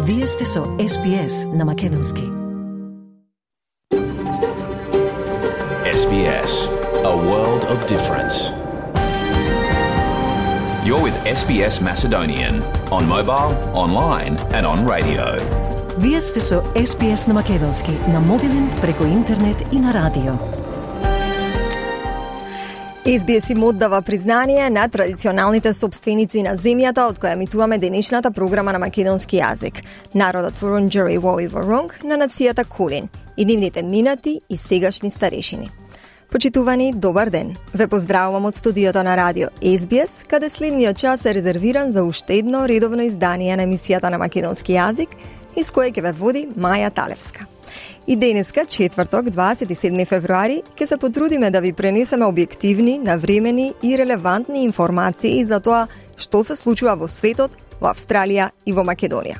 Вие сте со SBS на Македонски. SBS, a world of difference. You're with SBS Macedonian on mobile, online and on radio. Вие сте со SBS на Македонски на мобилен, преку интернет и на радио. SBS им оддава признание на традиционалните собственици на земјата од која емитуваме денешната програма на македонски јазик. Народот Вурундџери Вои Вурунг на нацијата Кулин и нивните минати и сегашни старешини. Почитувани, добар ден. Ве поздравувам од студиото на радио SBS, каде следниот час е резервиран за уште едно редовно издание на емисијата на македонски јазик, из кое ќе ве води Маја Талевска. И денеска, четврток, 27 февруари, ќе се потрудиме да ви пренесеме објективни, навремени и релевантни информации за тоа што се случува во светот, во Австралија и во Македонија.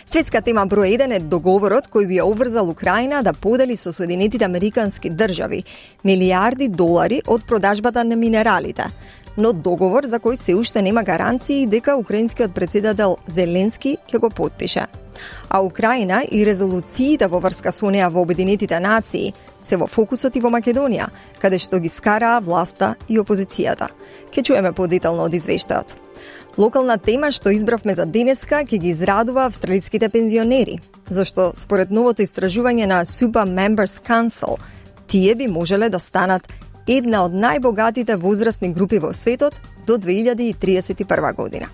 Светска тема број 1 е договорот кој би ја обврзал Украина да подели со Соединетите Американски држави милиарди долари од продажбата на минералите, но договор за кој се уште нема гаранции дека украинскиот претседател Зеленски ќе го потпише. А Украина и резолуциите во врска со неа во Обединетите нации се во фокусот и во Македонија, каде што ги скараа власта и опозицијата. Ке чуеме подетално од извештајот. Локална тема што избравме за денеска ќе ги израдува австралиските пензионери, зашто според новото истражување на Super Members Council, тие би можеле да станат една од најбогатите возрастни групи во светот до 2031 година.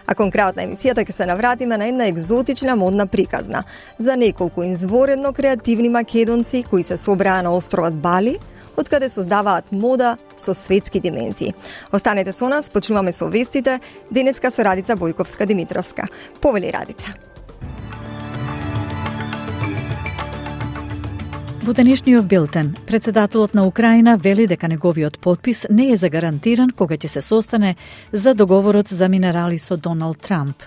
А конкретно емисијата ќе се навратиме на една екзотична модна приказна за неколку изворедно креативни македонци кои се собраа на островот Бали, од каде создаваат мода со светски димензии. Останете со нас, почнуваме со вестите, денеска со Радица Бојковска-Димитровска. Повели Радица. Во денешниот билтен, председателот на Украина вели дека неговиот потпис не е загарантиран кога ќе се состане за договорот за минерали со Доналд Трамп.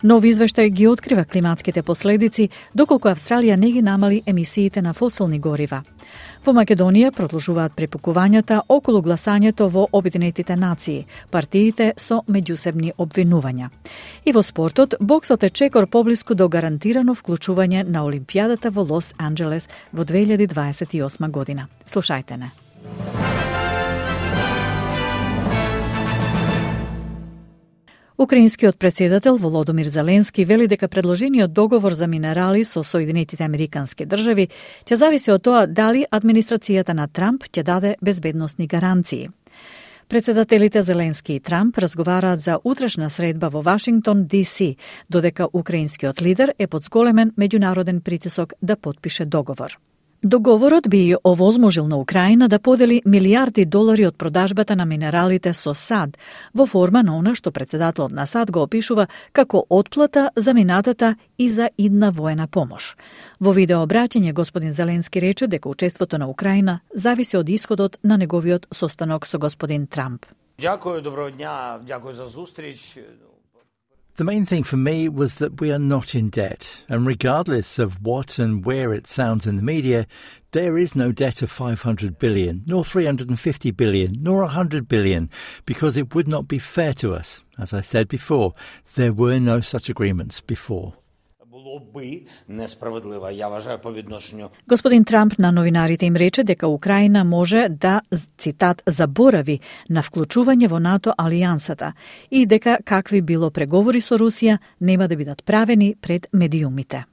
Нов извештај ги открива климатските последици доколку Австралија не ги намали емисиите на фосилни горива. Во Македонија продолжуваат препукувањата околу гласањето во Обединетите нации, партиите со меѓусебни обвинувања. И во спортот, боксот е чекор поблиску до гарантирано вклучување на Олимпијадата во Лос Анџелес во 2028 година. Слушајте не. Украинскиот претседател Володомир Зеленски вели дека предложениот договор за минерали со Соединетите Американски држави ќе зависи од тоа дали администрацијата на Трамп ќе даде безбедносни гаранции. Председателите Зеленски и Трамп разговараат за утрешна средба во Вашингтон, ДС, додека украинскиот лидер е под зголемен меѓународен притисок да потпише договор. Договорот би овозможил на Украина да подели милиарди долари од продажбата на минералите со САД во форма на она што председателот на САД го опишува како отплата за минатата и за идна воена помош. Во видеообраќање господин Зеленски рече дека учеството на Украина зависи од исходот на неговиот состанок со господин Трамп. Дякую, доброго дня, дякую за зустрич. The main thing for me was that we are not in debt, and regardless of what and where it sounds in the media, there is no debt of 500 billion, nor 350 billion, nor 100 billion, because it would not be fair to us. As I said before, there were no such agreements before. Господин Трамп на новинарите им рече дека Украина може да, цитат, заборави на вклучување во НАТО алијансата и дека какви било преговори со Русија нема да бидат правени пред медиумите.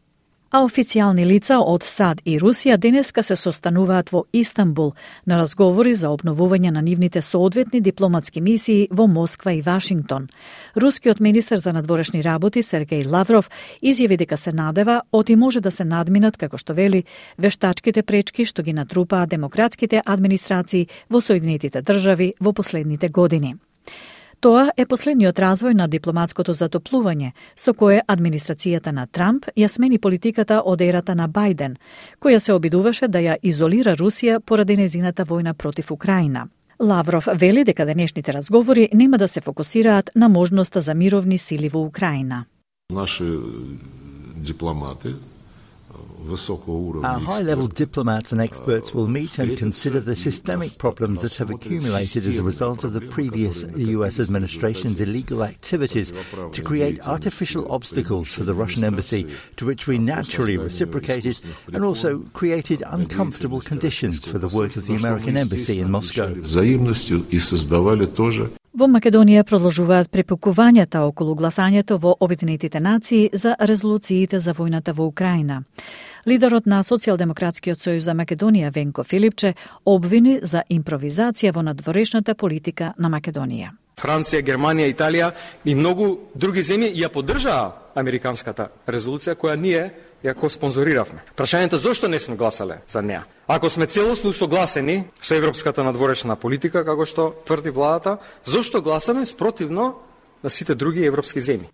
А официјални лица од САД и Русија денеска се состануваат во Истанбул на разговори за обновување на нивните соодветни дипломатски мисии во Москва и Вашингтон. Рускиот министер за надворешни работи Сергеј Лавров изјави дека се надева оти може да се надминат, како што вели, вештачките пречки што ги натрупаа демократските администрации во Соединетите држави во последните години. Тоа е последниот развој на дипломатското затоплување, со кое администрацијата на Трамп ја смени политиката од ерата на Бајден, која се обидуваше да ја изолира Русија поради незината војна против Украина. Лавров вели дека денешните разговори нема да се фокусираат на можноста за мировни сили во Украина. Наши дипломати Our high-level diplomats and experts will meet and consider the systemic problems that have accumulated as a result of the previous US administration's illegal activities to create artificial obstacles for the Russian embassy, to which we naturally reciprocated, and also created uncomfortable conditions for the work of the American embassy in Moscow. Во Македонија продолжуваат препукувањата околу гласањето во Обединетите нации за резолуциите за војната во Украина. Лидерот на Социјалдемократскиот сојуз за Македонија Венко Филипче обвини за импровизација во надворешната политика на Македонија. Франција, Германија, Италија и многу други земји ја поддржаа американската резолуција која ние ја спонзориравме. Прашањето зошто не сме гласале за неа? Ако сме целосно согласени со европската надворешна политика, како што тврди владата, зошто гласаме спротивно на сите други европски земји?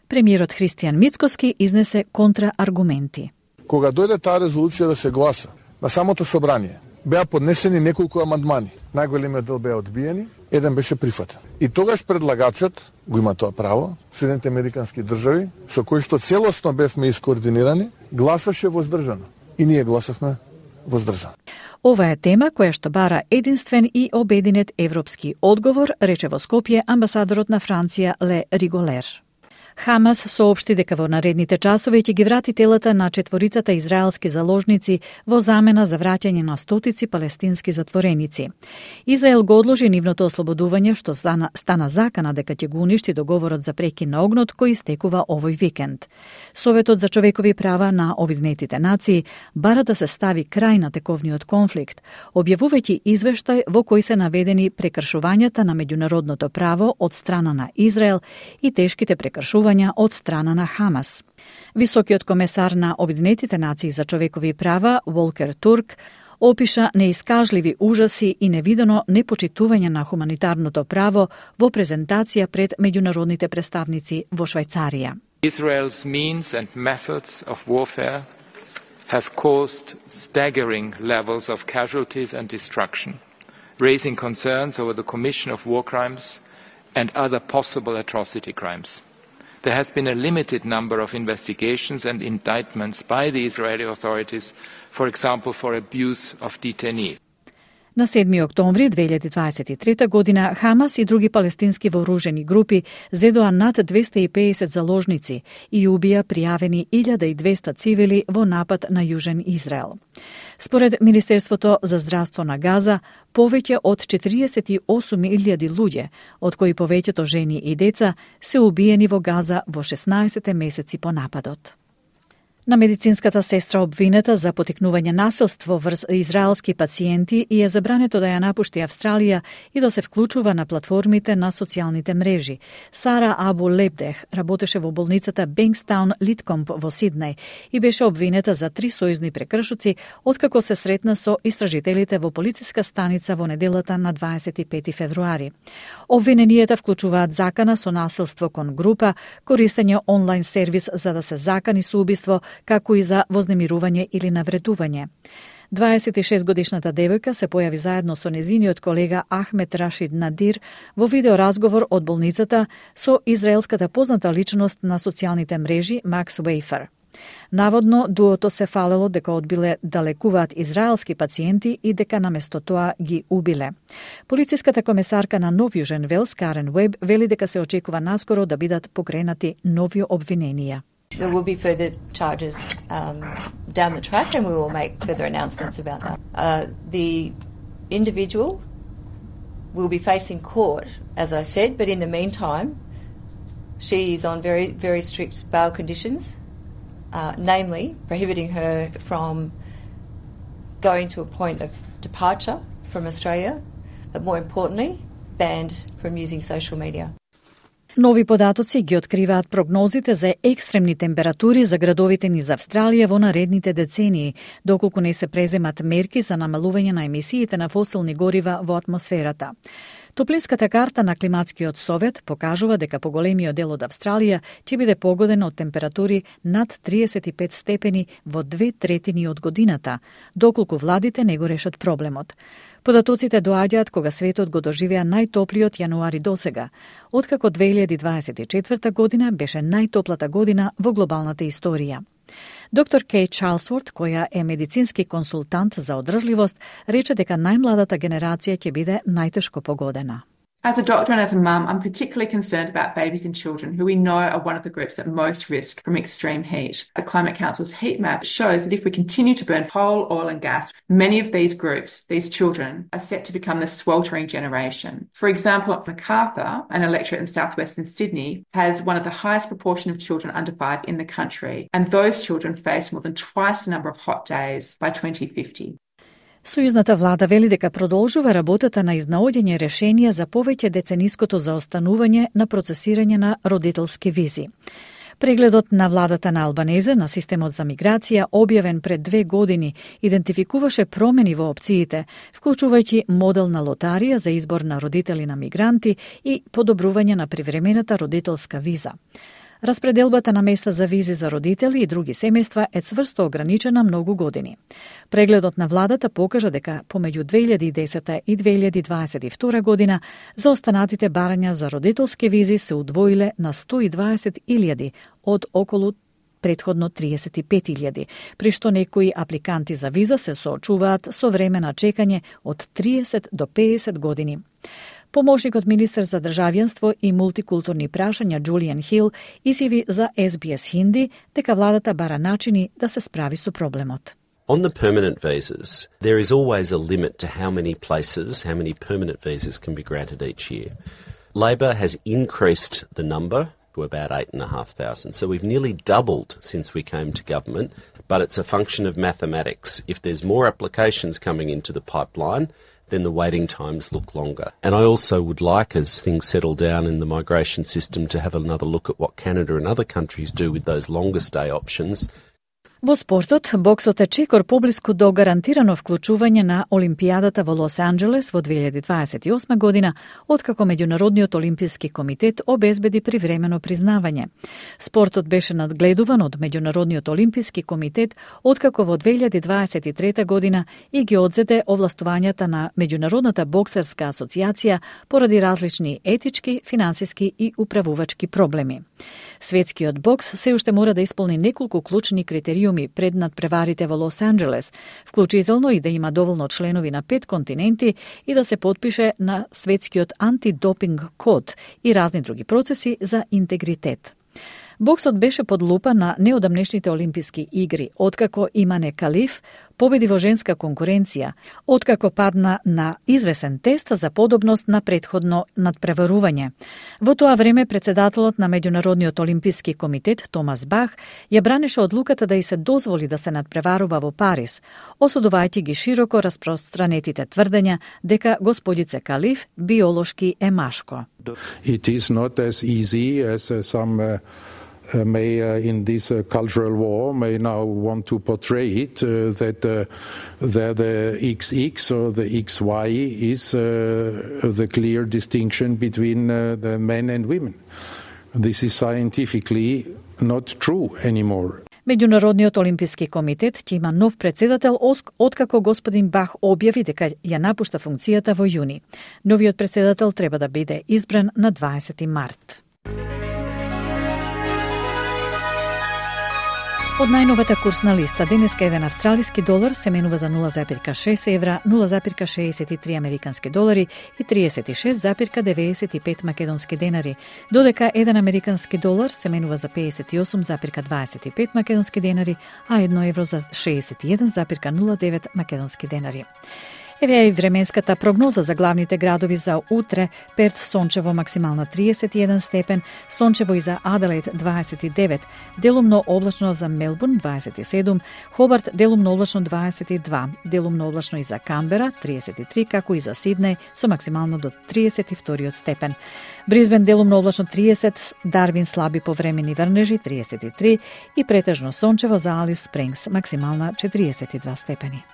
Премиерот Христијан Мицкоски изнесе контрааргументи. Кога дојде таа резолуција да се гласа на самото собрание, беа поднесени неколку амандмани. Најголемиот дел беа одбиени, еден беше прифатен. И тогаш предлагачот го има тоа право, Соединените американски држави, со кои што целосно бевме искоординирани, гласаше воздржано. И ние гласавме воздржано. Ова е тема која што бара единствен и обединет европски одговор, рече во Скопје амбасадорот на Франција Ле Риголер. Хамас соопшти дека во наредните часови ќе ги врати телата на четворицата израелски заложници во замена за враќање на стотици палестински затвореници. Израел го одложи нивното ослободување, што стана закана дека ќе го уништи договорот за прекин на огнот кој истекува овој викенд. Советот за човекови права на Обединетите нации бара да се стави крај на тековниот конфликт, објавувајќи извештај во кој се наведени прекршувањата на меѓународното право од страна на Израел и тешките прекршувања од страна на Хамас. Високиот комесар на Обединетите нации за човекови права Волкер Турк опиша неискажливи ужаси и невидено непочитување на хуманитарното право во презентација пред меѓународните представници во Швајцарија. Israel's means and methods of warfare have caused staggering levels of casualties and destruction, raising concerns over the commission of war crimes and other possible atrocity crimes. There has been a limited number of investigations and indictments by the Israeli authorities, for example, for abuse of detainees. На 7 октомври 2023 година Хамас и други палестински вооружени групи зедоа над 250 заложници и убија пријавени 1200 цивили во напад на Јужен Израел. Според Министерството за здравство на Газа, повеќе од 48.000 луѓе, од кои повеќето жени и деца, се убиени во Газа во 16 месеци по нападот. На медицинската сестра обвинета за потикнување насилство врз израелски пациенти и е забрането да ја напушти Австралија и да се вклучува на платформите на социјалните мрежи. Сара Абу Лебдех работеше во болницата Бенкстаун Литкомп во Сиднеј и беше обвинета за 3 сојузни прекршоци откако се сретна со истражителите во полициска станица во неделата на 25 февруари. Обвиненијата вклучуваат закана со насилство кон група, користење онлайн сервис за да се закани со убиство, како и за вознемирување или навредување. 26-годишната девојка се појави заедно со незиниот колега Ахмед Рашид Надир во видеоразговор од болницата со израелската позната личност на социјалните мрежи Макс Вейфер. Наводно, дуото се фалело дека одбиле да лекуваат израелски пациенти и дека наместо тоа ги убиле. Полициската комесарка на Нов Јужен Велс, Карен Уеб, вели дека се очекува наскоро да бидат покренати нови обвиненија. There will be further charges down the track, and we will make further announcements about that. The individual will be facing court, as I said, but in the meantime, she is on very, very strict bail conditions, namely prohibiting her from going to a point of departure from Australia, but more importantly, banned from using social media. Нови податоци ги откриваат прогнозите за екстремни температури за градовите низ Австралија во наредните децении, доколку не се преземат мерки за намалување на емисиите на фосилни горива во атмосферата. Топлинската карта на Климатскиот совет покажува дека поголемиот дел од Австралија ќе биде погоден од температури над 35 степени во 2/3 од годината, доколку владите не го решат проблемот. Податоците доаѓаат кога светот го доживеа најтоплиот јануари досега, откако 2024 година беше најтоплата година во глобалната историја. Доктор Кейт Чарлсворт, која е медицински консултант за одржливост, рече дека најмладата генерација ќе биде најтешко погодена. As a doctor and as a mum, I'm particularly concerned about babies and children who we know are one of the groups at most risk from extreme heat. The Climate Council's heat map shows that if we continue to burn coal, oil and gas, many of these groups, these children, are set to become the sweltering generation. For example, Macarthur, an electorate in southwestern Sydney, has one of the highest proportion of children under 5 in the country, and those children face more than twice the number of hot days by 2050. Сојузната влада вели дека продолжува работата на изнаоѓање решенија за повеќе децениското заостанување на процесирање на родителски визи. Прегледот на владата на Албанезе на системот за миграција, објавен пред 2 години, идентификуваше промени во опциите, вклучувајќи модел на лотарија за избор на родители на мигранти и подобрување на привремената родителска виза. Распределбата на места за визи за родители и други семејства е цврсто ограничена многу години. Прегледот на владата покажа дека помеѓу 2010 и 2022 година заостанатите барања за родителски визи се удвоиле на 120.000 од околу претходно 35.000, при што некои апликанти за виза се соочуваат со време на чекање од 30 до 50 години. Помошникот министер за државјанство и мултикултурни прашања Джулијан Хил изјави за SBS Хинди дека владата бара начини да се справи со проблемот. On the permanent visas, there is always a limit to how many places, how many permanent visas can be granted each year. Labor has increased the number to about 8,500. So we've nearly doubled since we came to government, but it's a function of mathematics. If there's more applications coming into the pipeline, then the waiting times look longer. And I also would like, as things settle down in the migration system, to have another look at what Canada and other countries do with those longer stay options. Во спортот, боксот е чекор поблиску до гарантирано вклучување на Олимпијадата во Лос Анџелес во 2028 година, откако Меѓународниот олимписки комитет обезбеди привремено признавање. Спортот беше надгледуван од Меѓународниот олимписки комитет, откако во 2023 година и ги одзеде овластувањата на Меѓународната боксерска асоциација поради различни етички, финансиски и управувачки проблеми. Светскиот бокс се уште мора да исполни неколку клучни критериуми пред надпреварите во Лос Анџелес, вклучително и да има доволно членови на 5 континенти и да се потпише на светскиот антидопинг код и разни други процеси за интегритет. Боксот беше под лупа на неодамнешните олимписки игри, откако Имане Калиф победи во женска конкуренција, откако падна на извесен тест за подобност на претходно надпреварување. Во тоа време председателот на Меѓународниот олимписки комитет Томас Бах ја бранеше одлуката да и се дозволи да се надпреварува во Париз, осудувајќи ги широко распространетите тврдења дека господице Калиф биолошки е машко. It is not as easy as some may in this cultural war may now want to portray it that the XX or the XY is the clear distinction between the men and women. This is scientifically not true anymore. Меѓународниот олимписки комитет ќе има нов председател откако господин Бах објави дека ја напушта функцијата во јуни. Новиот председател треба да биде избран на 20 март. Од најновата курсна листа, денеска еден австралиски долар се менува за 0,6 евра, 0,63 американски долари и 36,95 македонски денари, додека еден американски долар се менува за 58,25 македонски денари, а 1 евро за 61,09 македонски денари. Еве и временската прогноза за главните градови за утре: Перт сончево максимална 31 степен, сончево и за Аделаид 29, делумно облачно за Мелбурн 27, Хобарт делумно облачно 22, делумно облачно и за Камбера 33, како и за Сиднеј со максимално до 32 степен. Бризбен делумно облачно 30, Дарвин слаби повремени врнежи 33 и претежно сончево за Алис Спрингс максимална 42 степени.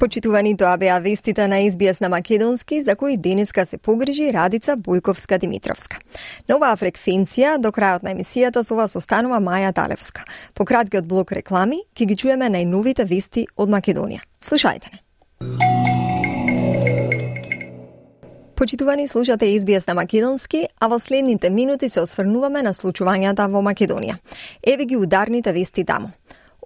Почитувани, тоа беа вестите на SBS на македонски, за кои денеска се погрижи Радица Бојковска-Димитровска. На оваа фреквенција до крајот на емисијата со вас останува Маја Талевска. По краткиот блок реклами ќе ги чуеме најновите вести од Македонија. Слушајте не. Почитувани, слушате SBS на македонски, а во следните минути се осврнуваме на случувањата во Македонија. Еве ги ударните вести таму.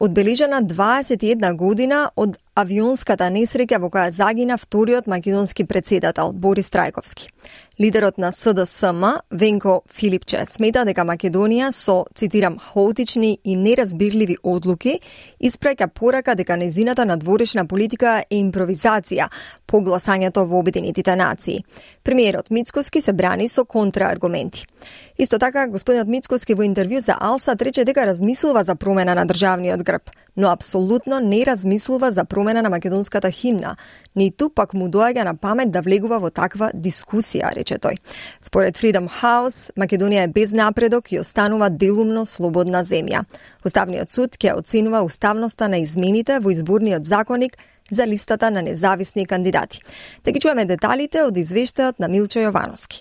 Одбележана 21 година од авионската несреќа во која загина вториот македонски претседател Борис Трајковски. Лидерот на СДСМ, Венко Филипче, смета дека Македонија со, цитирам, хаотични и неразбирливи одлуки испраќа порака дека незината надворешна политика е импровизација по гласањето во Обединетите нации. Премиерот Мицкоски се брани со контрааргументи. Исто така, господинот Мицкоски во интервју за Алсат рече дека размислува за промена на државниот грб, но апсолутно не размислува за промена на македонската химна. Ниту пак му доаѓа на памет да влегува во таква дискусија, рече тој. Според Freedom House, Македонија е без напредок и останува делумно слободна земја. Уставниот суд ќе оценува уставноста на измените во изборниот законник за листата на независни кандидати. Да ги чуеме деталите од извештајот на Милчо Јовановски.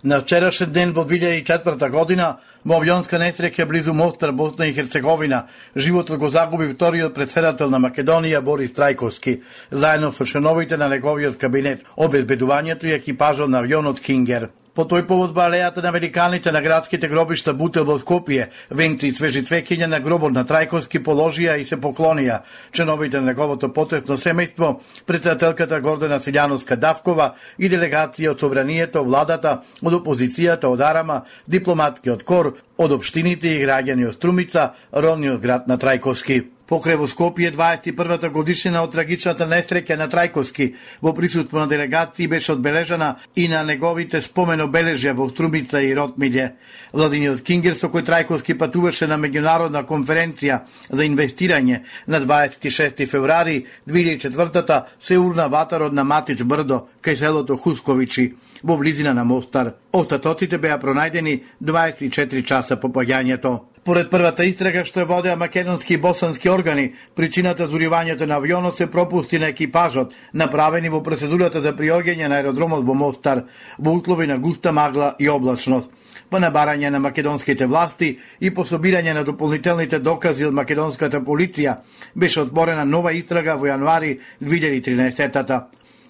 На вчерашен ден во 2004 година во авионска несреќа близу Мостар, Босна и Херцеговина, животот го загуби вториот претседател на Македонија Борис Трајковски, заедно со членовите на неговиот кабинет, обезбедувањето и екипажот на авионот Кингер. По тој повод во алејата на великаните на градските гробишта Бутел во Скопје, венци и свежи цвеќиња на гробот на Трајковски положија и се поклонија членовите на неговото потесно семејство, претседателката Гордана Силјановска-Давкова и делегација од собранието, владата, од опозицијата, од Арама, дипломатки од КОР, од општините и граѓани од Струмица, родниот град на Трајковски. Покрај во Скопје 21-та годишнина од трагичната несреќа на Трајковски во присуство на делегации беше одбележана и на неговите спомен обележја во Струмица и Ротмиље. Владиниот Кингер со кој Трајковски патуваше на меѓународна конференција за инвестирање на 26 февруари 2004-та се урна ватарот на Матич Брдо кај селото Хусковичи во близина на Мостар. Остатоците беа пронајдени 24 часа по паѓањето. Поред првата истрага што ја водеа македонски и босански органи, причината за уривањето на авионот се пропусти на екипажот, направени во процедурата за приоѓање на аеродромот во Мостар, во услови на густа магла и облачност. По набарање на македонските власти и по собирање на дополнителните докази од македонската полиција, беше отворена нова истрага во јануари 2013-та.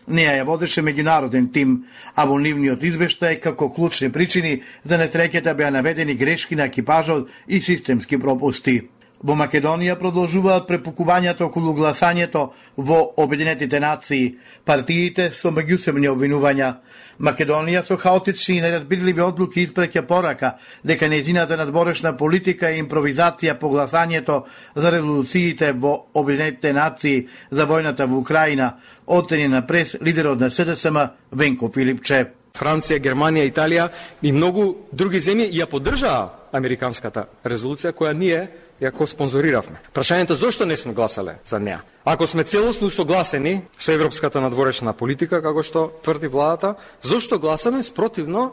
Неја ја водеше меѓународен тим, а во нивниот извештај како клучни причини за несреќата беа наведени грешки на екипажот и системски пропусти. Во Македонија продолжуваат препукувањата околу гласањето во Обединетите нации, партиите со меѓусебни обвинувања. Македонија со хаотични и неразбирливи одлуки испраќа порака дека нејзината надворешна политика и импровизација по гласањето за резолуциите во Обединетите нации за војната во Украина, оцени на прес лидерот на СДСМ Венко Филипче. Франција, Германија, Италија и многу други земји ја поддржаа американската резолуција која ние ја спонзориравме. Прашањето зошто не сме гласале за неа? Ако сме целосно согласени со европската надворешна политика, како што тврди владата, зошто гласаме спротивно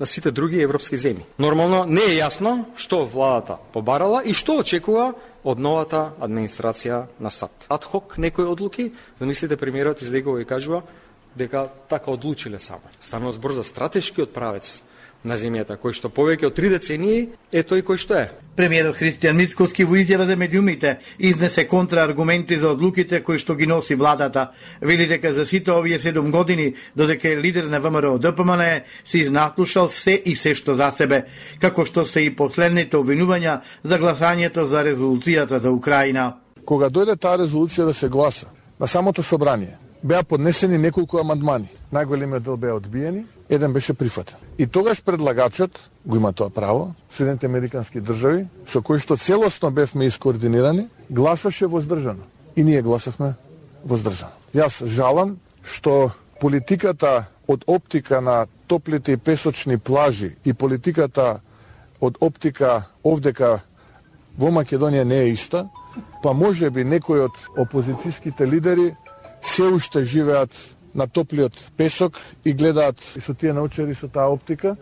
на сите други европски земји? Нормално не е јасно што владата побарала и што очекува од новата администрација на САД. Адхок некои одлуки, замислите премиерот излегува и кажува дека така одлучиле само. Станува збор за стратешкиот правец на земјата, кој што повеќе од 3 децении е тој кој што е. Премиерот Христијан Мицкоски во изјава за медиумите изнесе контрааргументи за одлуките кои што ги носи владата. Вели дека за сите овие 7 години, додека е лидер на ВМРО ДПМН, се изнаслушал се и се што за себе, како што се и последните обвинувања за гласањето за резолуцијата за Украина. Кога дојде таа резолуција да се гласа на самото собрание, беа поднесени неколку амандмани. Најголемиот дел беа одбиени, еден беше прифатен. И тогаш предлагачот го има тоа право, Соединените американски држави, со кои што целосно бевме искоординирани, гласаше воздржано. И ние гласавме воздржано. Јас жалам што политиката од оптика на топлите и песочни плажи и политиката од оптика овдека во Македонија не е иста, па може би некои од опозицијските лидери се уште живеат на топлиот песок и гледаат и со тие научари со таа оптика.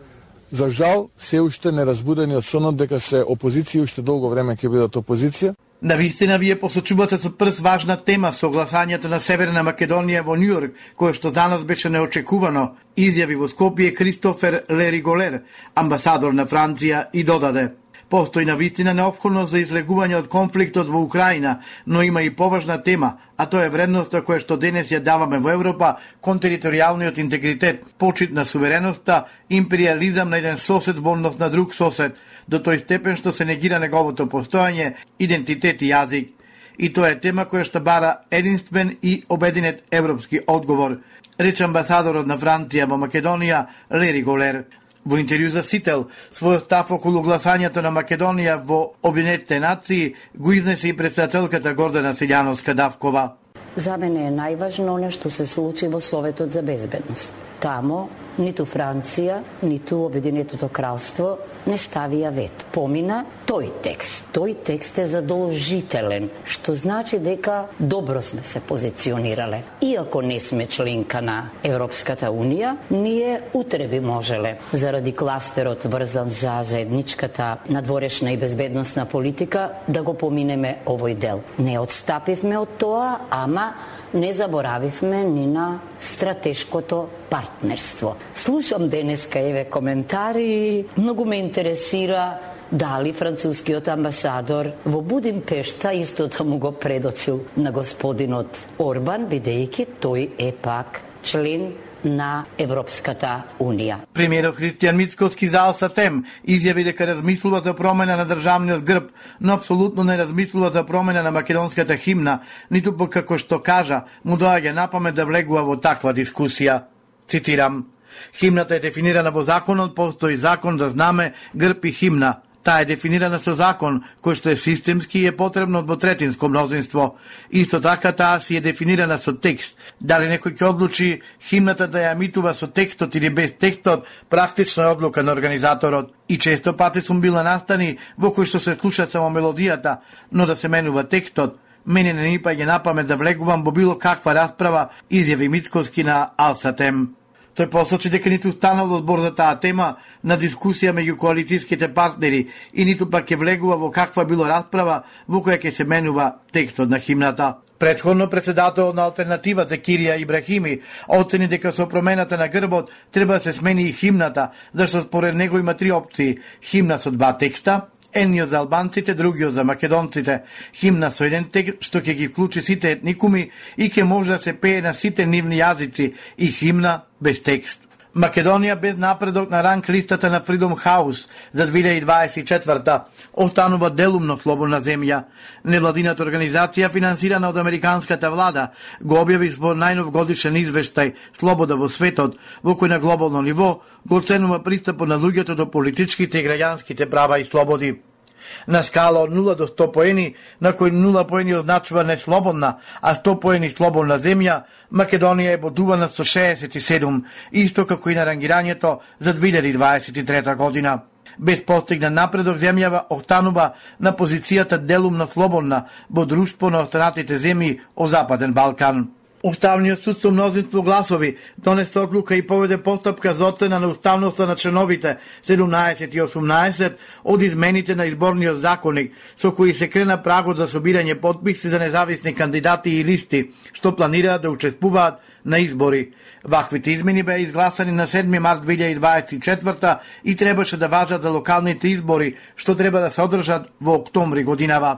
За жал, се уште неразбудени од сонот дека се опозиција уште долго време ќе бидат опозиција. Навистина вие посочувате со прс важна тема со гласањето на Северна Македонија во Њујорк, кое што за нас беше неочекувано, изјави во Скопје Кристофер Лериголер, амбасадор на Франција, и додаде: Постои навистина неопходност за излегување од конфликтот во Украина, но има и поважна тема, а тоа е вредноста која што денес ја даваме во Европа кон територијалниот интегритет, почит на сувереноста, империализам на еден сосед во однос на друг сосед, до тој степен што се негира неговото постојање, идентитет и јазик. И тоа е тема која што бара единствен и обединет европски одговор, рече амбасадорот на Франција во Македонија Лери Голер. Во интервју за Сител, својот став околу гласањето на Македонија во Обединетите нации го изнесе и председателката Гордана Силјановска-Давкова. За мене е најважно она што се случи во Советот за безбедност. Тамо ниту Франција, ниту Обединетото кралство не ставија вето. Помина тој текст. Тој текст е задолжителен, што значи дека добро сме се позиционирале. Иако не сме членка на Европската Унија, ние утре би можеле, заради кластерот врзан за заедничката надворешна и безбедносна политика, да го поминеме овој дел. Не отстапивме од тоа, ама не заборавивме ни на стратешкото партнерство. Слушам денеска еве коментари, многу ме интересира дали францускиот амбасадор во Будимпешта истото му го предочил на господинот Орбан, бидејќи тој е пак член на Европската Унија. Премиерот Христијан Мицкоски за Алсатем изјави дека размислува за промена на државниот грб, но апсолутно не размислува за промена на македонската химна, ниту пак како што кажа, му доаѓа на памет да влегува во таква дискусија. Цитирам: "Химната е дефинирана во законот, постои закон за знаме, грб и химна. Таа е дефинирана со закон, кој што е системски и е потребно двотретинско мнозинство. Исто така таа си е дефинирана со текст. Дали некој ќе одлучи химната да ја емитува со текстот или без текстот, практично е одлука на организаторот. И често пати сум била настани во кој што се слуша само мелодијата, но да се менува текстот. Мене не ни паѓа на памет да влегувам во било каква расправа", изјави Мицкоски на Алсатем. Тој посочи дека ниту станал збор за таа тема на дискусија меѓу коалицијските партнери и ниту пак ќе влегува во каква било расправа во која ќе се менува текстот на химната. Претходно председателот на Алтернатива Закирија Ибрахими оцени дека со промената на грбот треба да се смени и химната, зашто според него има три опции: химна со два текста, едниот за албанците, другиот за македонците, химна со еден текст што ќе ги вклучи сите етникуми и ќе може да се пее на сите нивни јазици, и химна без текст. Македонија без напредок на ранг листата на Freedom House за 2024 останува делумно слободна земја. Невладината организација, финансирана од американската влада, го објави во најнов годишен извештај "Слобода во светот", во кој на глобално ниво го оценува пристапот на луѓето до политичките и граѓанските права и слободи. На скала од 0 до 100 поени, на кој 0 поени означува неслободна, а 100 поени слободна земја, Македонија е бодувана со 67, исто како и на рангирањето за 2023 година. Без постигнат напредок, земјава останува на позицијата делумно слободна во друштво на останатите земји од Западен Балкан. Уставниот суд со мнозинство гласови донесе одлука и поведе постапка за оцена на уставноста на членовите 17 и 18 од измените на изборниот законник, со кои се крена прагот за собирање потписи за независни кандидати и листи, што планираат да учествуваат на избори. Ваквите измени беа изгласани на 7 март 2024 и требаше да важат за локалните избори, што треба да се одржат во октомври годинава.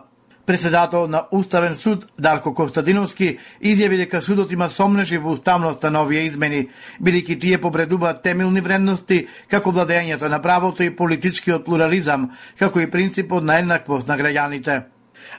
Председател на Уставен суд Дарко Костадиновски изјави дека судот има сомнежи во уставноста на овие измени, бидејќи тие повредуваат темелни вредности како владењето на правото и политичкиот плурализам, како и принципот на еднаквост на граѓаните.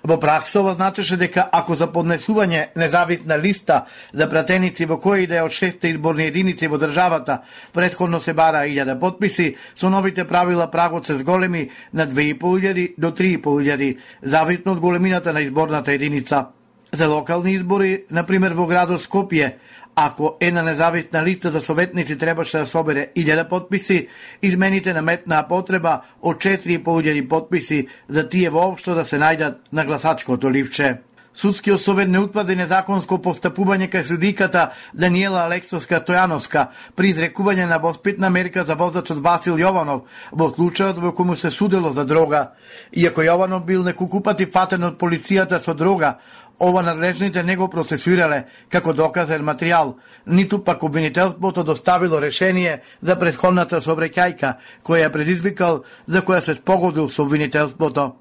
Во пракса ова значеше дека ако за поднесување независна листа за пратеници во која и да е од 6 изборни единици во државата претходно се бара 1000 потписи, со новите правила прагот се зголеми на 2500 до 3500, зависно од големината на изборната единица. За локални избори, например во градот Скопје, ако една независна листа за советници требаше да собере 1000 потписи, измените наметнаа потреба од 4500 потписи за тие воопшто да се најдат на гласачкото ливче. Судскиот совет не утврди незаконско постапување кај судиката Даниела Алексовска Стојановска при изрекување на воспитна мерка за возачот Васил Јованов во случајот во кој му се судело за дрога. Иако Јованов бил неколку пати фатен од полицијата со дрога, ова надлежните не го процесуирале како доказен материјал, ниту пак обвинителството доставило решение за претходната сообраќајка која ја предизвикал, за која се спогодил со обвинителството.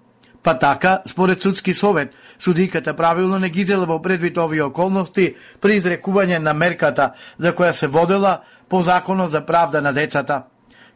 Па така, според судски совет, судиката правилно не ги зела во предвид овие околности при изрекување на мерката за која се водела по Законот за правда на децата.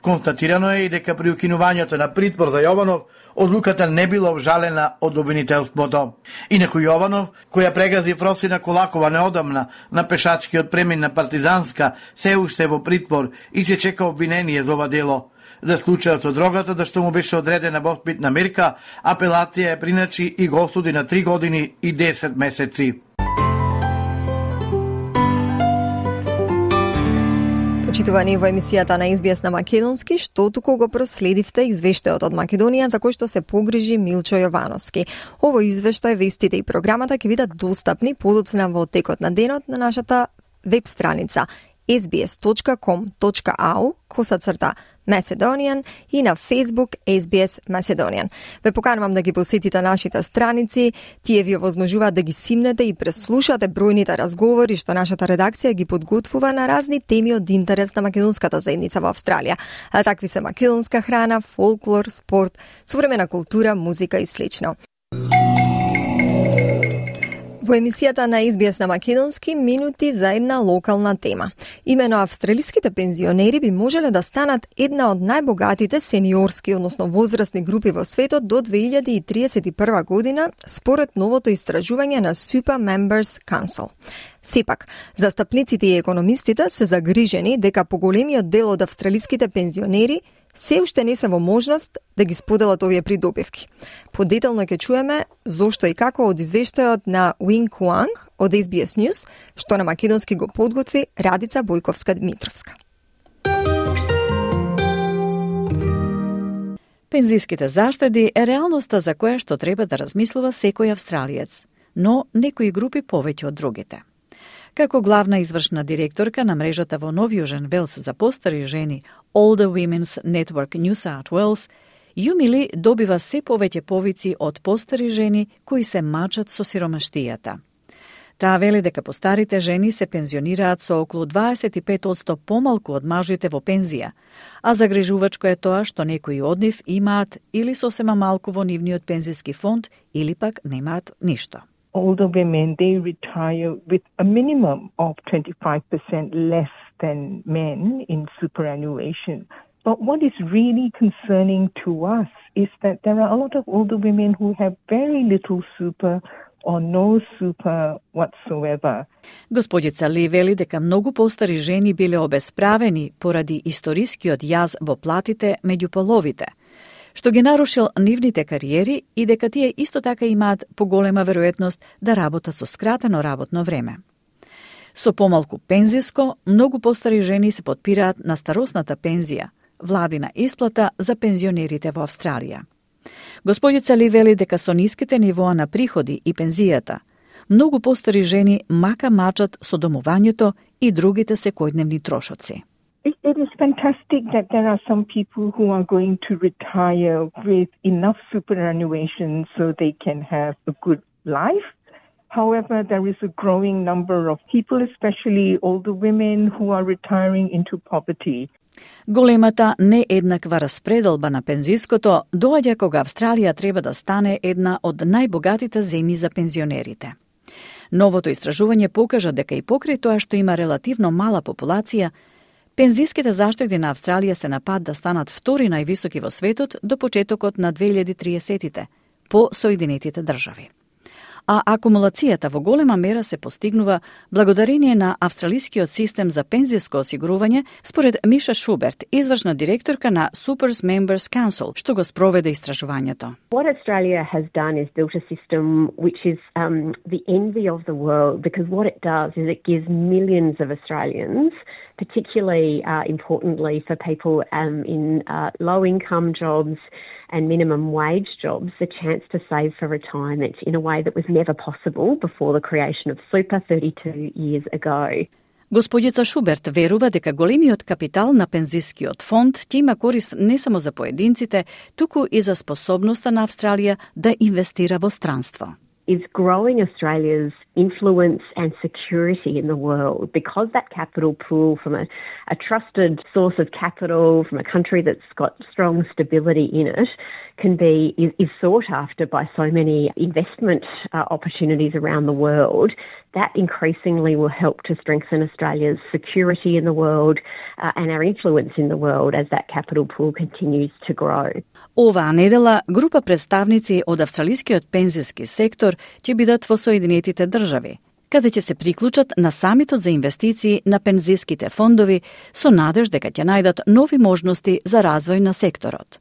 Констатирано е и дека при укинувањето на притвор за Јованов, одлуката не била обжалена од обвинителството. Инаку Јованов, која прегази Фросина Колакова неодамна на пешачкиот премин на Партизанска, се уште во притвор и се чека обвинение за ова дело. За случајот со дрогата, да што му беше одредена воспитна мерка, апелација е приначи и го осуди на 3 години и 10 месеци. Почитувани во емисијата на SBS на македонски, што туку го проследивте извештајот од Македонија за кој што се погрижи Милчо Јовановски. Овој извештај, вестите и програмата ќе бидат достапни подоцна во текот на денот на нашата веб страница sbs.com.au/Macedonian и на Facebook SBS Macedonian. Ве поканувам да ги посетите нашите страници, тие ви овозможуваат да ги симнете и преслушате бројните разговори што нашата редакција ги подготвува на разни теми од интерес на македонската заедница во Австралија. А такви се македонска храна, фолклор, спорт, современа култура, музика и слично. Во емисијата на SBS на македонски, минути за една локална тема. Имено австралиските пензионери би можеле да станат една од најбогатите сениорски, односно возрастни групи во светот до 2031 година, според новото истражување на Super Members Council. Сепак, застапниците и економистите се загрижени дека поголемиот дел од австралиските пензионери се уште не се во можност да ги споделат овие придобивки. Подетално ќе чуеме зошто и како од извештајот на Уин Куанг од SBS News, што на македонски го подготви Радица Бојковска-Дмитровска. Пензиските заштеди е реалноста за која што треба да размислува секој австралиец, но некои групи повеќе од другите. Како главна извршна директорка на мрежата во Нов Јужен Велс за постари жени Older Women's Network New South Wales, Јумили добива се повеќе повици од постари жени кои се мачат со сиромаштијата. Таа вели дека постарите жени се пензионираат со околу 25% помалку од мажите во пензија, а загрижувачко е тоа што некои од нив имаат или сосема малку во нивниот пензиски фонд или пак немаат ништо. Older women, they retire with a minimum of 25% less than men in superannuation. But what is really concerning to us is that there are a lot of older women who have very little super or no super whatsoever. Господица Ли вели дека многу постари жени биле обесправени поради историскиот јаз во платите меѓу половите, што ги нарушил нивните кариери и дека тие исто така имаат поголема веројатност да работа со скратено работно време. Со помалку пензиско, многу постари жени се потпираат на старосната пензија, владина исплата за пензионерите во Австралија. Господица Ли вели дека со ниските нивоа на приходи и пензијата, многу постари жени мака мачат со домувањето и другите секојдневни трошоци. It is fantastic that there are some people who are going to retire with enough superannuation so they can have a good life. However, there is a growing number of people, especially older women, who are retiring into poverty. Големата нееднаква распределба на пензиското доаѓа кога Австралија треба да стане една од најбогатите земји за пензионерите. Новото истражување покажа дека и покрај тоа што има релативно мала популација, пензиските заштеди на Австралија се на пат да станат втори највисоки во светот до почетокот на 2030-тите по Соединетите држави. А акумулацијата во голема мера се постигнува благодарение на австралискиот систем за пензиско осигурување, според Миша Шуберт, извршна директорка на Super Members Council, што го спроведе истражувањето. What Australia has done is built a system which is the envy of the world, because what it does is it gives millions of Australians, particularly importantly for people in low-income jobs and minimum wage jobs, the chance to save for retirement in a way that was never possible before the creation of super 32 years ago. Господица Шуберт верува дека големиот капитал на пензискиот фонд ќе има корист не само за поединците, туку и за способноста на Австралија да инвестира во странство. is growing Australia's influence and security in the world, because that capital pool from a trusted source of capital from a country that's got strong stability in it is sought after by so many investment opportunities around the world. That increasingly will help to strengthen Australia's security in the world and our influence in the world as that capital pool continues to grow. Оваа недела група представници од австралискиот пензиски сектор ќе бидат во Соединетите држави, каде ќе се приклучат на самитот за инвестиции на пензиските фондови со надеж дека ќе најдат нови можности за развој на секторот.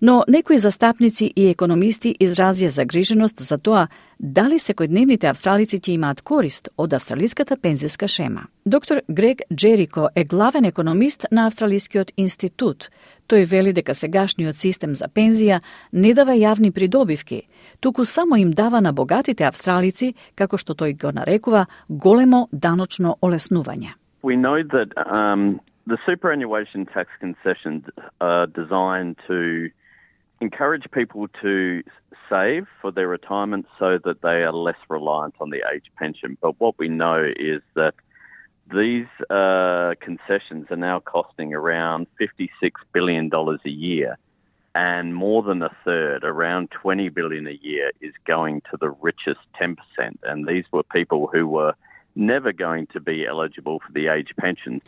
Но некои застапници и економисти изразија загриженост за тоа дали секојдневните австралици ќе имаат корист од австралиската пензиска шема. Доктор Грег Джерико е главен економист на Австралискиот институт. Тој вели дека сегашниот систем за пензија не дава јавни придобивки, туку само им дава на богатите австралици, како што тој го нарекува, големо даночно олеснување. We know that the superannuation tax concessions are designed to encourage people to save for their retirement so that they are less reliant on the age pension. But what we know is that these concessions are now costing around $56 billion a year, and more than a third, around $20 billion a year, is going to the richest 10%. And these were people who were never going to be eligible for the age pension.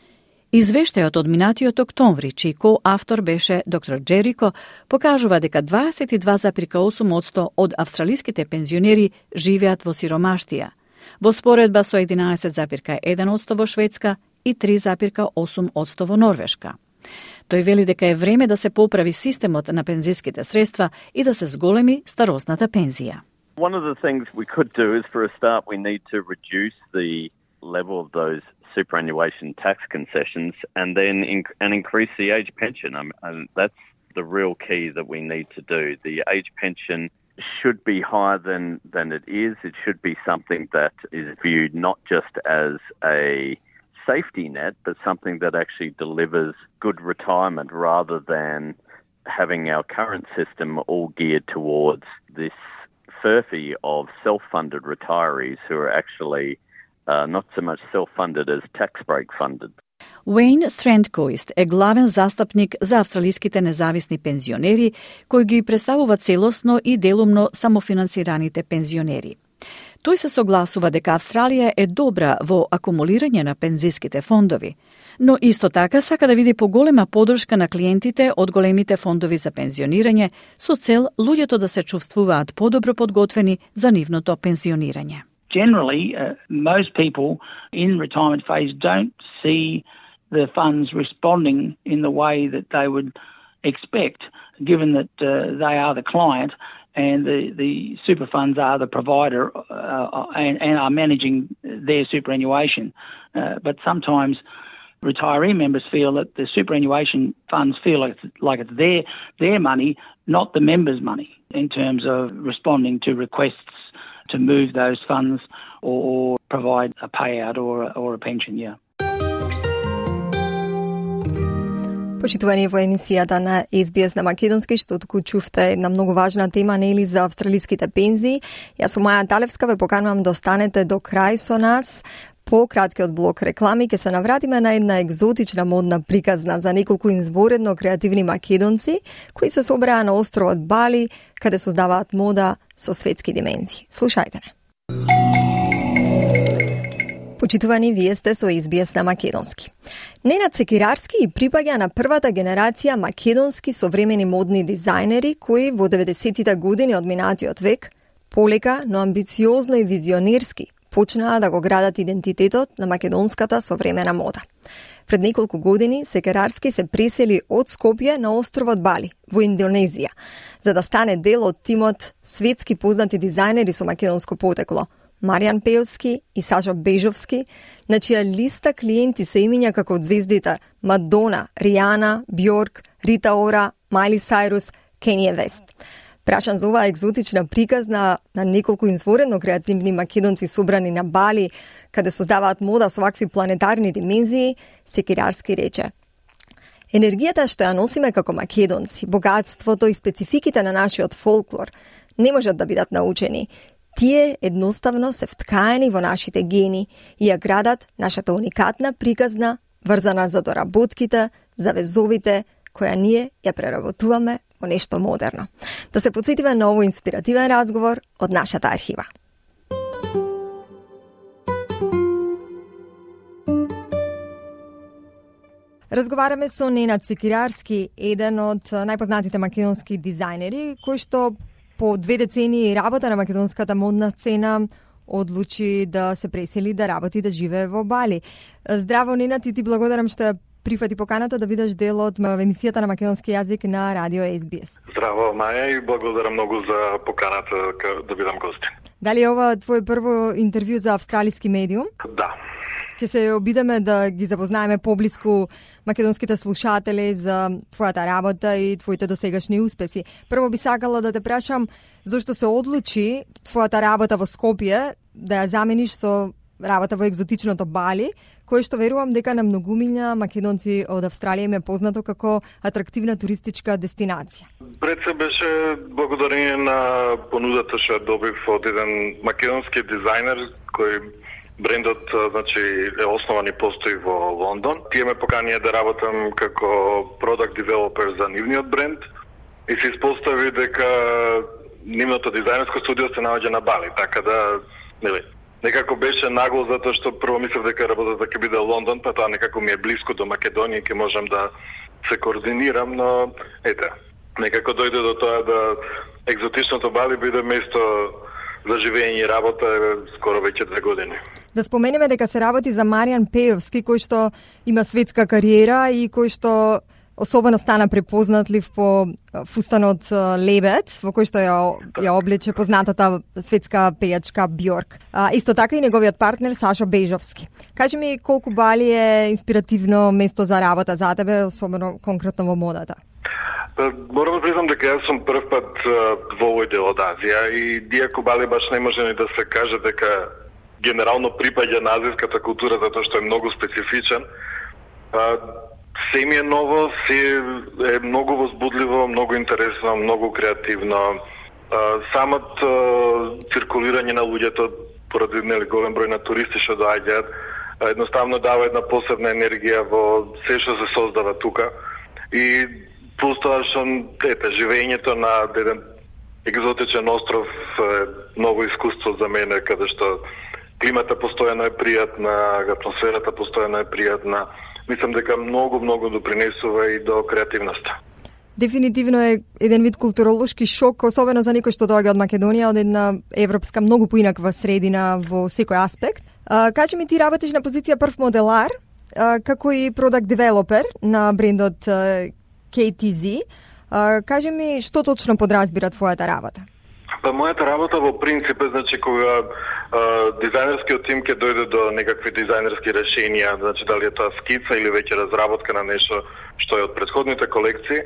Извештајот од минатиот октомври, чиј коавтор беше доктор Джерико, покажува дека 22,8% од австралиските пензионери живеат во сиромаштија, во споредба со 11,1% во Шведска и 3,8% во Норвешка. Тој вели дека е време да се поправи системот на пензиските средства и да се зголеми старосната пензија. One of the things we could do is, for a start, we need to reduce the level of those superannuation tax concessions and then increase the age pension. And that's the real key that we need to do. The age pension should be higher than it is. It should be something that is viewed not just as a safety net, but something that actually delivers good retirement rather than having our current system all geared towards this furphy of self-funded retirees who are actually not so much self-funded as tax break funded. Уейн Стрендкоист е главен застапник за австралиските независни пензионери, кој ги представува целосно и делумно самофинансираните пензионери. Тој се согласува дека Австралија е добра во акумулирање на пензиските фондови, но исто така сака да види поголема поддршка на клиентите од големите фондови за пензионирање со цел луѓето да се чувствуваат подобро подготвени за нивното пензионирање. Generally, most people in retirement phase don't see the funds responding in the way that they would expect, given that they are the client and the super funds are the provider and are managing their superannuation. But sometimes retiree members feel that the superannuation funds feel like it's their money, not the members' money, in terms of responding to requests to move those funds or provide a payout or a pension, yeah. Почитувани во емисијата на SBS на македонски, што туку чувте една многу важна тема, нели, за австралиските пензии. Јас сум Маја Талевска, ве поканувам да останете до крај со нас. По краткиот блок реклами ќе се навратиме на една екзотична модна приказна за неколку изворедно креативни македонци кои се собраа на островот Бали, каде создаваат мода со светски димензии. Слушајте не. Почитувани, вие сте со SBS на македонски. Ненад Секирарски и припаѓа на првата генерација македонски современи модни дизајнери кои во 90-тите години од минатиот век полека, но амбициозно и визионерски почнаа да го градат идентитетот на македонската современа мода. Пред неколку години Секирарски се пресели од Скопје на островот Бали во Индонезија, за да стане дел од тимот светски познати дизајнери со македонско потекло Маријан Пеовски и Сашо Бежовски, на чија листа клиенти се имиња како од звездите Мадона, Ријана, Бјорк, Рита Ора, Майли Сайрус, Кенје Вест. Прашан за оваа екзотична приказна на неколку изворедно креативни македонци собрани на Бали, каде создаваат мода со вакви планетарни димензии, Секирарски рече: енергијата што ја носиме како македонци, богатството и спецификите на нашиот фолклор не можат да бидат научени. Тие едноставно се вткаени во нашите гени и ја градат нашата уникатна приказна, врзана за доработките, за везовите, која ние ја преработуваме во нешто модерно. Да се потсетиме на овој инспиративен разговор од нашата архива. Разговараме со Ненад Секирарски, еден од најпознатите македонски дизајнери, кој што по 2 децении работа на македонската модна сцена одлучи да се пресели, да работи, да живее во Бали. Здраво, Ненад, и ти благодарам што ја прифати поканата да бидеш дел од емисијата на македонски јазик на Радио SBS. Здраво, Маја, и благодарам многу за поканата да бидам гостин. Дали е ова твое прво интервју за австралиски медиум? Да. Ќе се обидеме да ги запознаеме поблиску македонските слушатели за твојата работа и твоите досегашни успеси. Прво би сакала да те прашам зошто се одлучи твојата работа во Скопје да ја замениш со работа во екзотичното Бали, кој што верувам дека на многумина македонци од Австралија им е познато како атрактивна туристичка дестинација. Пред се беше благодарение на понудата што ја добив од еден македонски дизајнер кој брендот, значи, е основан и постои во Лондон. Тие ме поканија да работам како product developer за нивниот бренд и се испостави дека нивното дизајнерско студио се наоѓа на Бали, така да, некако беше нагло затоа што прво мислев дека работата ќе биде Лондон, па тоа некако ми е блиско до Македонија и ќе можам да се координирам, но некако дојде до тоа да екзотичното Бали биде место за живење и работа скоро веќе 2 години. Да споменеме дека се работи за Маријан Пејовски, кој што има светска кариера и кој што особено стана препознатлив по фустанот Лебед, во кој што ја облече познатата светска пејачка Бјорк. Исто така и неговиот партнер Сашо Бежовски. Кажи ми колку Бали е инспиративно место за работа за тебе, особено конкретно во модата? Морам да признам дека јас сум прв пат во овој дел од Азија и диако Бали баш не може ни да се каже дека генерално припаѓа на азијската култура затоа што е многу специфичен. Се ми е ново, се е многу возбудливо, многу интересно, многу креативно. Самот циркулирање на луѓето поради голем број на туристи што доаѓаат, едноставно дава една посебна енергија во се што се создава тука. И плюс тоа што живењето на еден екзотичен остров е ново искуство за мене, каде што климата постојано е пријатна, атмосферата постојано е пријатна. Мислам дека многу допринесува и до креативноста. Дефинитивно е еден вид културолошки шок, особено за некој што доаѓа од Македонија, од една европска многу поинаква средина во секој аспект. Кажи ми, ти работиш на позиција прв моделар, како и product developer на брендот KTZ. Кажи ми, што точно подразбира твојата работа? Па мојата работа во принцип е, значи, кога дизајнерскиот тим ќе дојде до некакви дизајнерски решенија, значи дали е тоа скица или веќе разработка на нешто што е од претходните колекции,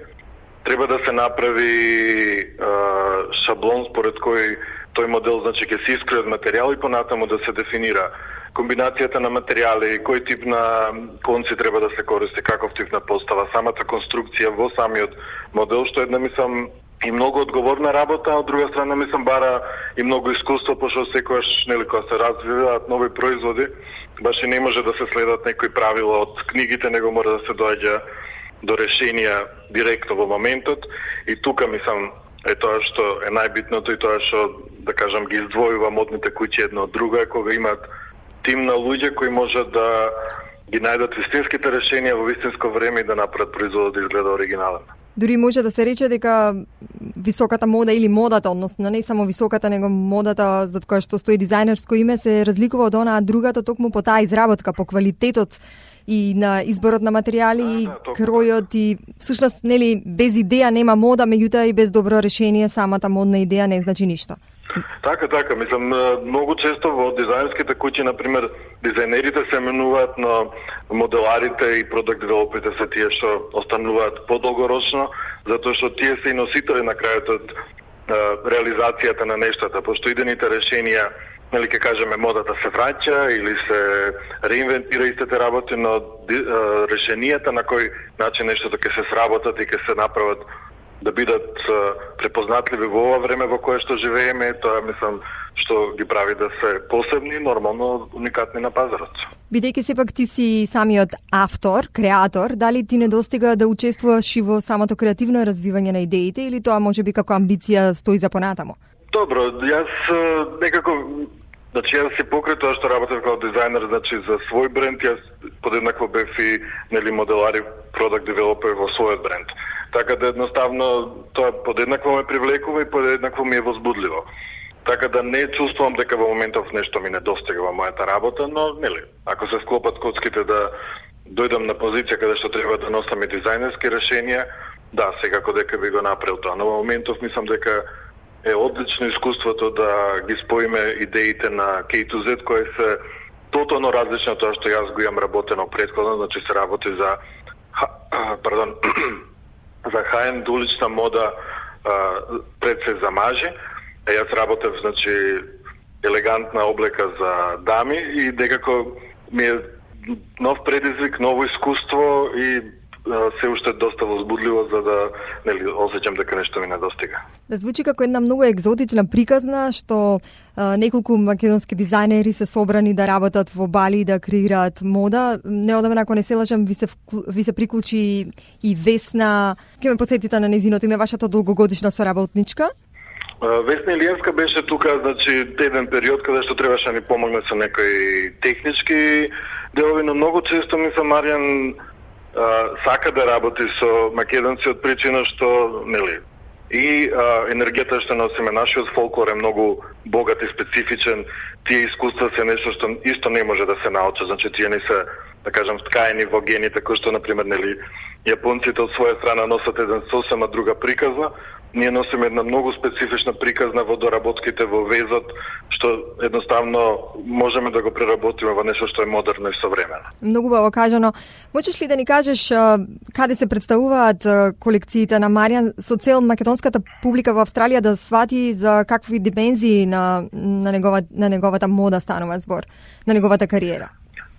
треба да се направи шаблон според кој тој модел, значи, ќе се искрои од материјал и понатаму да се дефинира комбинацијата на материјали, кој тип на конци треба да се користи, каков тип на постава, самата конструкција во самиот модел, што една, мислам, и многу одговорна работа, а од друга страна, мислам, бара и многу искуство, пошто секогаш, кога се развиваат нови производи, баш и не може да се следат некои правила од книгите, него мора да се доаѓа до решенија директно во моментот. И тука, мислам, е тоа што е најбитното и тоа што, да кажам, ги издвојува модните куќи едно од друго, е кога имаат тим на луѓе кои можат да ги најдат вистинските решенија во вистинско време и да направат производот да изгледа оригинален. Дури може да се рече дека високата мода или модата, односно не само високата, него модата за која што стои дизајнерско име се разликува од онаа другата токму по таа изработка, по квалитетот и на изборот на материјали и кројот и всушност нели без идеја нема мода, меѓутоа и без добро решение самата модна идеја не значи ништо. Така, мислам, многу често во дизајнерските куќи, например, дизајнерите се менуваат, но моделарите и продукт девелоперите се тие што остануваат подолгорочно, затоа што тие се и носители на крајот од реализацијата на нештата, пошто идените решенија, нели ќе кажеме, модата се враќа или се реинвентира истите работи, но решенијата на кој начин нештото ќе се сработат и ќе се направат да бидат препознатливи во ова време во кое што живееме, тоа мислам што ги прави да се посебни, нормално уникатни на пазарот. Бидејќи сепак ти си самиот автор, креатор, дали ти не достига да учествуваш и во самото креативно развивање на идеите или тоа можеби како амбиција стои за понатамо? Добро, јас некако јас си покрај тоа што работев како дизајнер, за свој бренд, јас подеднакво бев и моделар и продакт девелопер во својот бренд. Така да едноставно тоа подеднакво ме привлекува и подеднакво ми е возбудливо. Така да не чувствувам дека во моментов нешто ми недостига во мојата работа, но ако се склопат коцките да дојдам на позиција каде што треба да носам и дизајнерски решенија, да, секако дека би го направил тоа. Но во моментов мислам дека е одлично искуството да ги споиме идеите на K to Z, кои се тотално различни од тоа што јас го имам работено претходно, значи се работи за за high-end улична мода пред се за мажи. Јас работев, елегантна облека за дами и некако ми е нов предизвик, ново искуство и се уште доста возбудливо за да осеќам дека нешто ми недостига. Да звучи како една многу екзотична приказна што неколку македонски дизајнери се собрани да работат во Бали и да креираат мода. Неодамна, ако не се лажам, ви се приклучи и Весна. Ке ме потсетите на нејзиното име, вашата долгогодишна соработничка? Весна Илиевска беше тука, еден период каде што требаше да ни помогне со некои технички делови, но многу често мислам Маријан сака да работи со македонци од причина што, и енергијата што носиме, нашиот фолклор е многу богат и специфичен. Тие искуства се нешто што исто не може да се научи, тие не се, да кажам, вткаени во гените, кои што, например, јапонците од своја страна носат еден сосема друга приказна. Ние носиме една многу специфична приказна во доработките, во везот, што едноставно можеме да го преработиме во нешто што е модерно и современо. Многу убаво кажано. Можеш ли да ни кажеш каде се представуваат колекциите на Маријан со цел македонската публика во Австралија да свати за какви димензии на неговата мода станува збор, на неговата кариера?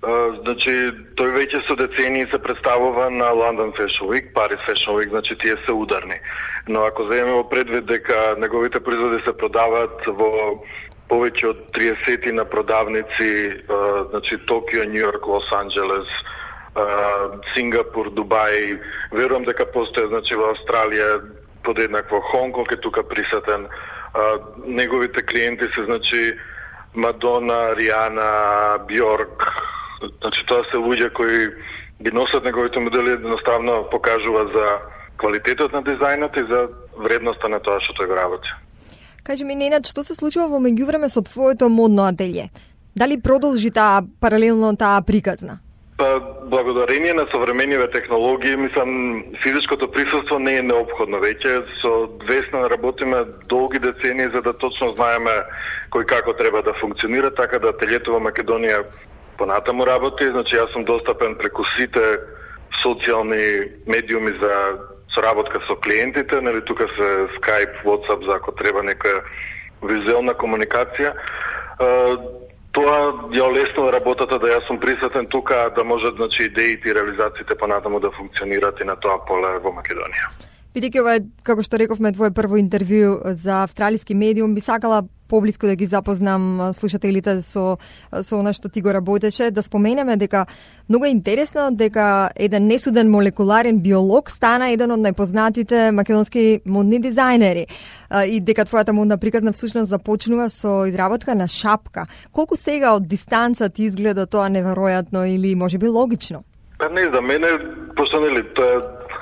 Тој веќе со децении се представува на London Fashion Week, Paris Fashion Week, тие се ударни. Но ако земеме во предвид дека неговите производи се продаваат во повеќе од 30 на продавници, Токио, Нью Йорк, Лос Анџелес, Сингапур, Дубај, верувам дека постои во Австралија подеднакво, Хонконг е тука присутен. Неговите клиенти се Мадона, Риана, Бьорк. Тоа се луѓе кои ги носат неговите модели, едноставно покажува за квалитетот на дизајнот и за вредноста на тоа што тој го работи. Кажи ми, Ненад, што се случува во меѓувреме со твоето модно ателје? Дали продолжи паралелно таа приказна? Благодарение на современиве технологии, мислам, физичкото присуство не е неопходно веќе. Со Весна работиме долги децении за да точно знаеме кој како треба да функционира, така да ателјето во Македонија понатаму работи. Јас сум достапен преку сите социјални медиуми за соработка со клиентите, тука се Skype, WhatsApp за ако треба некоја визуелна комуникација. Тоа ја олеснува работата да јас сум присутен тука, да можат идеите и реализациите понатаму да функционираат и на тоа поле во Македонија. Бидејќи ова е, како што рековме, твое прво интервју за австралиски медиум, би сакала поблиску да ги запознам слушателите со она што ти го работеше, да споменеме дека многу е интересно дека еден несуден молекуларен биолог стана еден од најпознатите македонски модни дизајнери и дека твојата модна приказна всушност започнува со изработка на шапка. Колку сега од дистанца ти изгледа тоа неверојатно или можеби логично? Не знам, мене, пошто тоа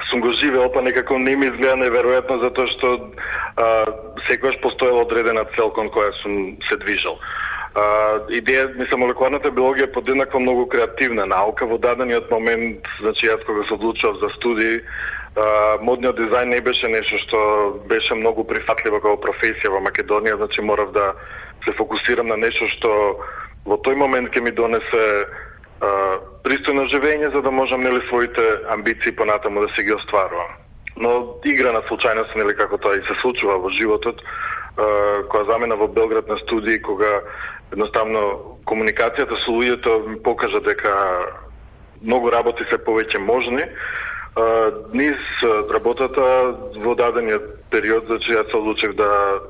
сум го живеел, некако не ми изгледа неверојатно, затоа што секогаш постоела одредена цел кон која сум се движел. Идеја, молекуларната биологија е подеднакво многу креативна наука. Во дадениот момент, јас кога се одлучував за студии, модниот дизајн не беше нешто што беше многу прифатливо како професија во Македонија, морав да се фокусирам на нешто што во тој момент ќе ми донесе пристојно живење, за да можам своите амбиции понатаму да се ги остварувам. Но игра на случајност, како тоа и се случува во животот, кога замена во Белград на студии, кога едноставно комуникацијата со луѓето ми покажа дека многу работи се повеќе можни, низ работата во дадениот период, значи јас се одлучив да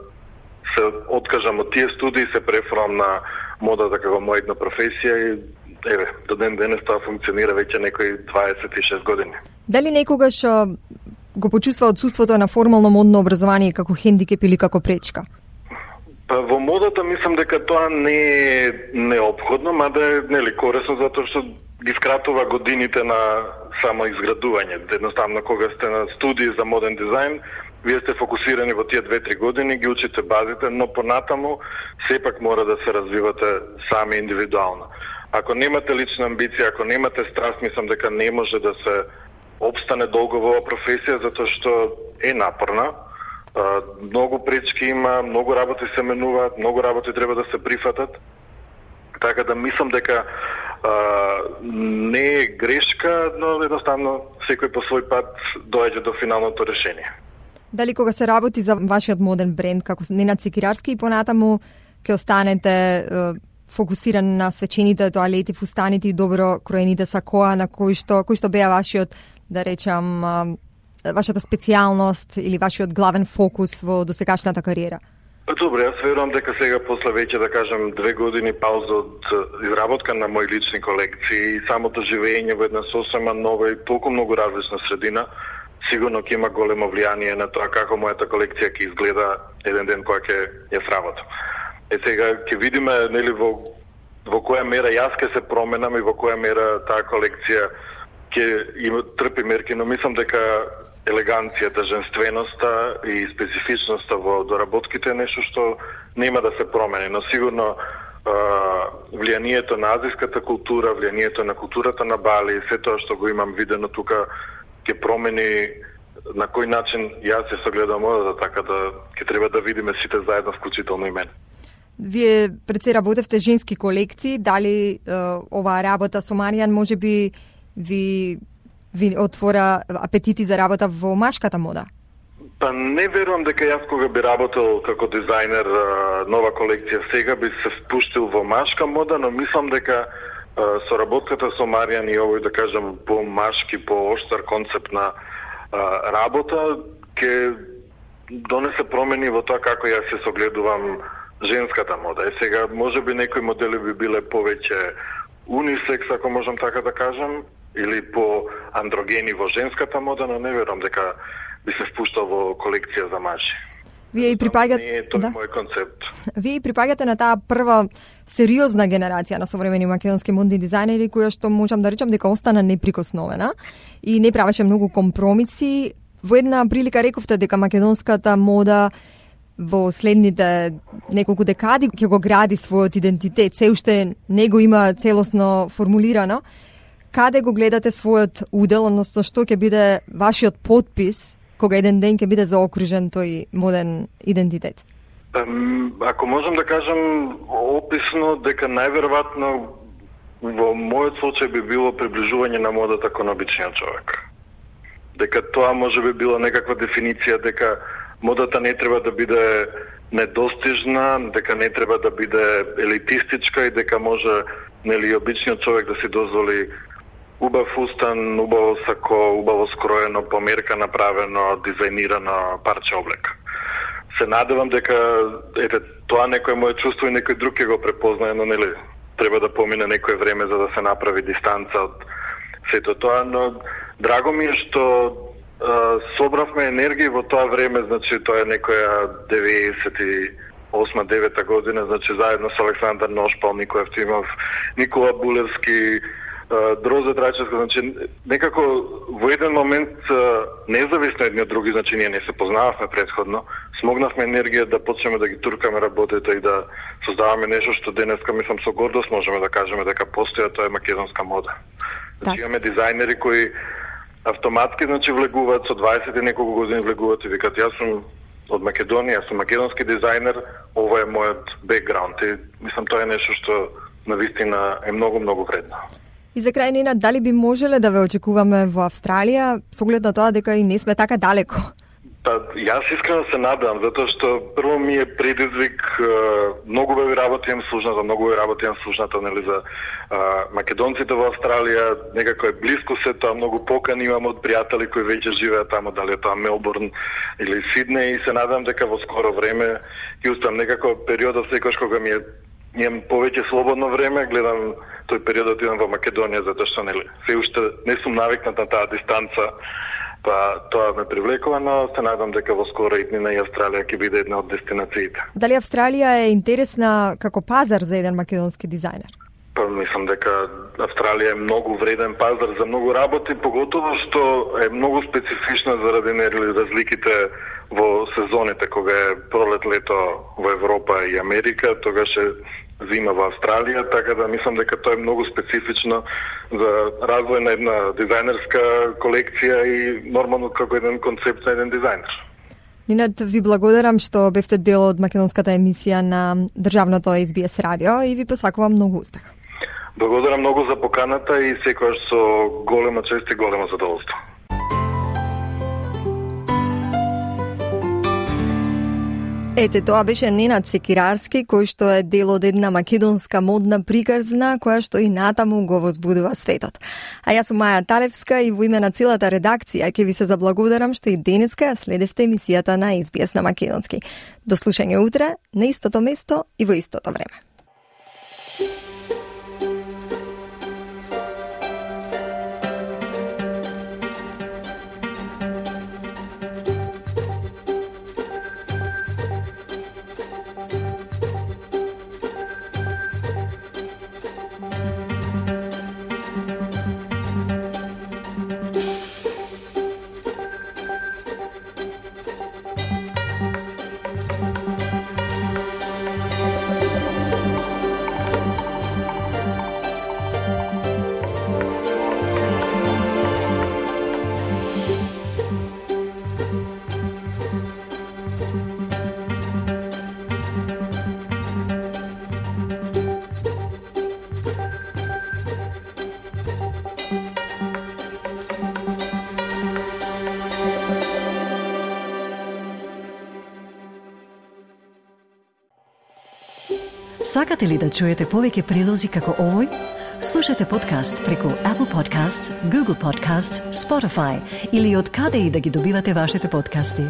се откажам од тие студии, се префрлам на модата како моја една професија и еве, до ден денес тоа функционира веќе некои 26 години. Дали некогаш го почувства отсуството на формално модно образование како хендикеп или како пречка? Па во модата мислам дека тоа не е неопходно, мада е корисно затоа што ги скратува годините на само изградување. Едноставно кога сте на студии за моден дизајн, вие сте фокусирани во тие 2-3 години, ги учите базите, но понатаму сепак мора да се развивате сами индивидуално. Ако немате лична амбиција, ако немате страст, мислам дека не може да се обстане долго во оваа професија, затоа што е напорна. Многу пречки има, многу работи се менуваат, многу работи треба да се прифатат. Така да мислам дека не е грешка, но едноставно секој по свој пат доаѓа до финалното решение. Дали кога се работи за вашиот моден бренд, како Ненад Секирарски, и понатаму ќе останете фокусиран на свечените тоалети, фустаните и добро кроените сакоа, на кој што беа вашиот, да речам, вашата специјалност или вашиот главен фокус во досегашната кариера? Добре, јас верувам дека сега после веќе, да кажем, 2 години пауза од изработка на мои лични колекции и самото живење во една сосема нова и толку многу различна средина, сигурно ќе има големо влијание на тоа како мојата колекција ќе изгледа еден ден кога ќе ја сработам. Сега ќе видиме нели во која мера јас ќе се променам и во која мера таа колекција ќе има трпи мерки, но мислам дека елеганцијата, женственоста и специфичноста во доработките е нешто што нема да се промени, но сигурно влијанието на азиската култура, влијанието на културата на Бали, се тоа што го имам видено тука ќе промени на кој начин јас се согледам модата, така да ќе треба да видиме сите заедно, вклучително и мене. Вие пред се работевте женски колекции, дали оваа работа со Маријан можеби ви отвора апетити за работа во машката мода? Па не верувам дека јас кога би работел како дизајнер нова колекција сега би се впуштил во машка мода, но мислам дека со работката со Маријан и овој, да кажем, по-машки, по-оштар концепт на работа ќе донесе промени во тоа како јас се согледувам женската мода. И сега можеби некои модели би биле повеќе унисекс, ако можам така да кажам, или по андрогени во женската мода, но не верувам дека би се впуштал во колекција за мажи. Вие и припаѓате, не е тоа мој концепт. Вие и припаѓате на таа прва сериозна генерација на современи македонски модни дизајнери, која што можам да речам дека остана неприкосновена и не правеше многу компромиси. Во една прилика рековте дека македонската мода во следните неколку декади ќе го гради својот идентитет, се уште не го има целосно формулирано. Каде го гледате својот удел, односно што ќе биде вашиот подпис кога еден ден ќе биде заокружен тој моден идентитет? Ако можам да кажам описно, дека најверојатно во мојот случај би било приближување на модата кон обичниот човек. Дека тоа може би било некаква дефиниција, дека модата не треба да биде недостижна, дека не треба да биде елитистичка и дека може, нели, обичниот човек да си дозволи убав фустан, убаво сако, убаво скроено, по мерка направено, дизајнирано парче облека. Се надевам дека тоа некој мое чувство и некој друг ќе го препознае, но нели треба да помине некое време за да се направи дистанца од сето тоа, но драго ми е што собравме енергија во тоа време, значи тоа е некоја 98-9 година, значи заедно со Александар Ношпал, Никој Евтимов, Никола Булевски, Дрозе Трајчевска, значи некако во еден момент независно едни од други, значи ние не се познававме претходно, смогнавме енергија да почнеме да ги туркаме работите и да создаваме нешто што денеска мислам со гордост можеме да кажеме дека постоја, тоа е македонска мода. Значи имаме дизајнери кои автоматски значи влегуваат со 20 и неколку години влегуваат и викат јас сум од Македонија, јас сум македонски дизајнер, ова е мојот бекграунд и мислам тоа е нешто што навистина е многу вредно. И за крај, Ненад, дали би можеле да ве очекуваме во Австралија, со оглед на тоа дека и не сме така далеко? Па, јас искрено се надам, затоа што прво ми е предизвик, многу веќе работам слушната, нели, за македонците во Австралија, некако е блиско се тоа, многу покани имам од пријатели кои веќе живеат таму, дали е тоа Мелбурн или Сиднеј, и се надам дека во скоро време ќе успеам некако периодот секогаш кога имам повеќе слободно време, гледам тој периодот идам во Македонија, затоа што нели се уште не сум навикнат на таа дистанца. Па тоа ме привлекува, но се надам дека во скоро иднина и Австралија ќе биде една од дестинациите. Дали Австралија е интересна како пазар за еден македонски дизајнер? Па мислам дека Австралија е многу вреден пазар за многу работи, поготово што е многу специфична заради разликите во сезоните, кога е пролет, лето во Европа и Америка, тогаш е зима во Австралија, така да мислам дека тоа е многу специфично за развој на една дизајнерска колекција и нормално како еден концепт на еден дизајнер. Нинат, ви благодарам што бевте дел од македонската емисија на државното SBS радио и ви посакувам многу успех. Благодарам многу за поканата и секогаш со голема чест и големо задоволство. Ете, тоа беше Ненад Секирарски, кој што е дел од една македонска модна приказна, која што и натаму го возбудува светот. А јас сум Маја Талевска и во име на целата редакција ќе ви се заблагодарам што и денеска следевте емисијата на SBS на македонски. До слушање утре, на истото место и во истото време. Сакате ли да чуете повеќе прилози како овој? Слушате подкаст преку Apple Podcasts, Google Podcasts, Spotify или од каде и да ги добивате вашите подкасти.